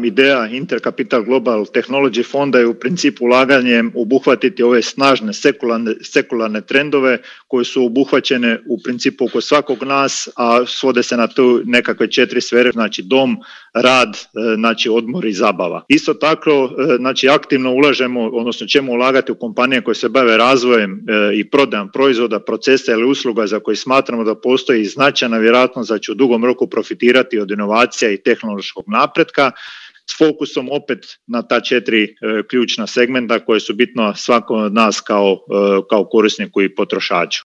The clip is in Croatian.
ideja Intercapital Global Technology fonda je u principu ulaganjem obuhvatiti ove snažne sekularne trendove koje su obuhvaćene u principu oko svakog nas, a svode se na tu nekakve 4 sfere, znači dom, rad, znači odmor i zabava. Isto tako, znači aktivno ulažemo, odnosno ćemo ulagati u kompanije koje se bave razvojem i prodajom proizvoda, procesa ili usluga za koje smatramo da postoji značajna vjerojatnost da će u dugom roku profitirati od inovacija i tehnološkog napretka, s fokusom opet na ta 4 ključna segmenta koje su bitno svakom od nas kao korisniku i potrošaču.